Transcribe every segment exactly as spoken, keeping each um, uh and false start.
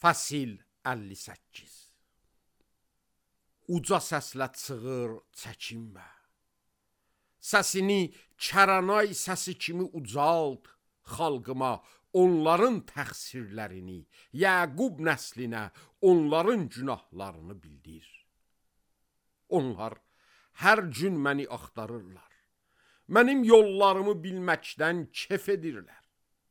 Fasil əlli səkkiz. Uca səslə çığır, çəkinmə. Səsini Kəranay səsi kimi ucalt, xalqıma onların təqsirlərini, Yəqub nəslinə onların günahlarını bildir. Onlar hər gün məni axtarırlar. Mənim yollarımı bilməkdən kef edirlər.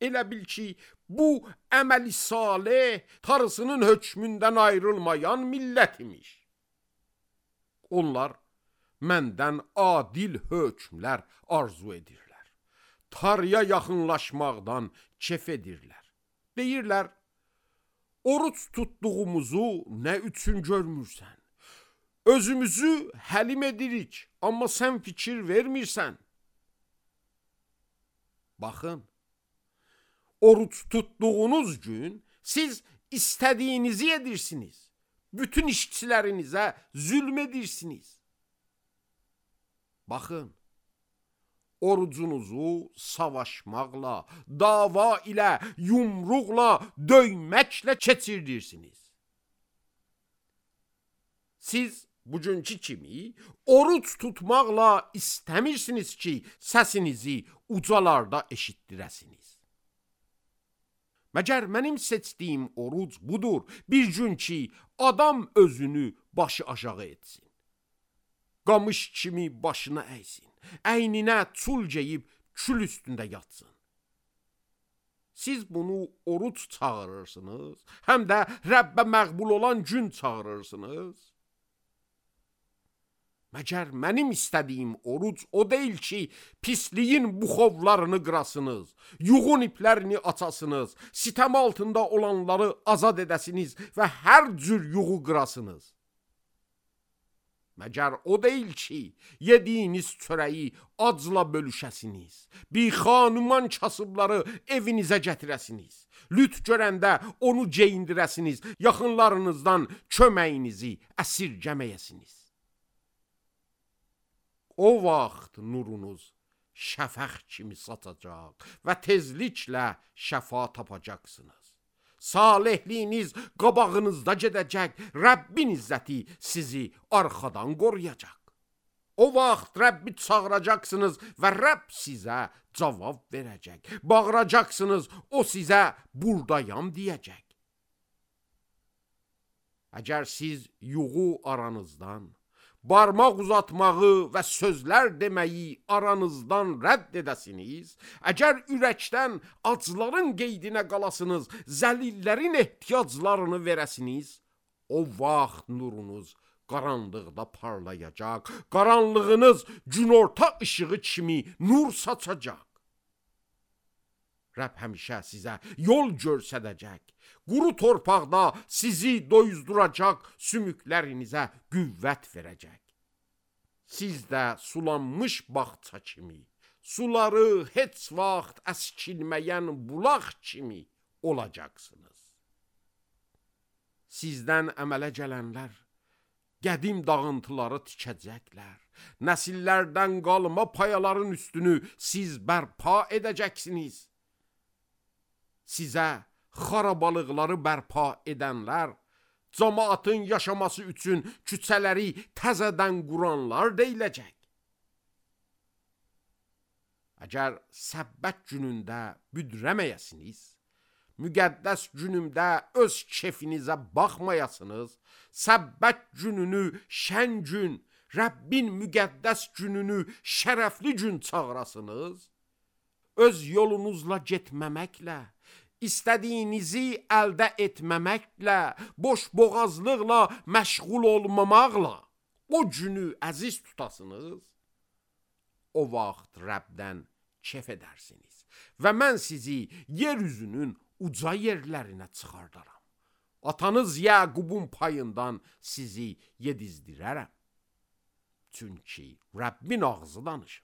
Elə bil ki, bu əməli salih tarısının hökmündən ayrılmayan millət imiş. Onlar məndən adil hökmlər arzu edirlər. Tarıya yaxınlaşmaqdan kef edirlər. Deyirlər, oruç tutduğumuzu nə üçün görmürsən? Özümüzü həlim edirik, amma sən fikir vermirsən. Baxın, oruç tutduğunuz gün siz istədiyinizi edirsiniz. Bütün işçilərinizə zülm edirsiniz. Baxın, orucunuzu savaşmaqla, dava ilə, yumruqla, döyməklə keçirirsiniz. Siz bugünkü kimi oruç tutmaqla istəmirsiniz ki, səsinizi ucalarda eşitdirəsiniz. Məgər mənim seçdiyim oruc budur, bir gün ki, adam özünü başı aşağı etsin. Qamış kimi başına əysin, əyninə çul geyib kül üstündə yatsın. Siz bunu oruc çağırırsınız, həm də Rəbbə məqbul olan gün çağırırsınız. Məgər mənim istədiyim oruc o deyil ki, pisliyin buxovlarını qırasınız, yuğun iplərini açasınız, sitəm altında olanları azad edəsiniz və hər cür yuğu qırasınız. Məgər o deyil ki, yediyiniz çörəyi acla bölüşəsiniz, bixanüman kasıbları evinizə gətirəsiniz, lüt görəndə onu geyindirəsiniz, yaxınlarınızdan köməyinizi əsirgəməyəsiniz. O vaxt nurunuz şəfəq kimi satacaq və tezliklə şəfa tapacaqsınız. Salihliyiniz qabağınızda gedəcək, Rəbbin izzəti sizi arxadan qoruyacaq. O vaxt Rəbbi çağıracaqsınız və Rəbb sizə cavab verəcək. Bağıracaqsınız, o sizə buradayam deyəcək. Əgər siz yuğu aranızdan, barmaq uzatmağı və sözlər deməyi aranızdan rədd edəsiniz, əgər ürəkdən acların qeydinə qalasınız, zəlillərin ehtiyaclarını verəsiniz, o vaxt nurunuz qaranlıqda parlayacaq, qaranlığınız günorta işığı kimi nur saçacaq. Rəbb həmişə sizə yol göstərəcək, quru torpaqda sizi doyuzduracaq, sümüklərinizə qüvvət verəcək. Siz də sulanmış bağça kimi, suları heç vaxt əskilməyən bulaq kimi olacaqsınız. Sizdən əmələ gələnlər qədim dağıntıları tikəcəklər, nəsillərdən qalma payaların üstünü siz bərpa edəcəksiniz. Sizə xarabalıqları bərpa edənlər, cəmaatın yaşaması üçün küçələri təzədən quranlar deyiləcək. Əgər səbbət günündə büdrəməyəsiniz, müqəddəs günümdə öz kefinizə baxmayasınız, səbbət gününü şən gün, Rəbbin müqəddəs gününü şərəfli gün çağırasınız, öz yolunuzla getməməklə, istədiyinizi əldə etməməklə, boş boğazlıqla məşğul olmamaqla o günü əziz tutasınız, o vaxt Rəbdən kef edərsiniz və mən sizi yeryüzünün uca yerlərinə çıxardaram. Atanız Yəqubun payından sizi yedizdirərəm. Çünki Rəbbin ağzı danışır.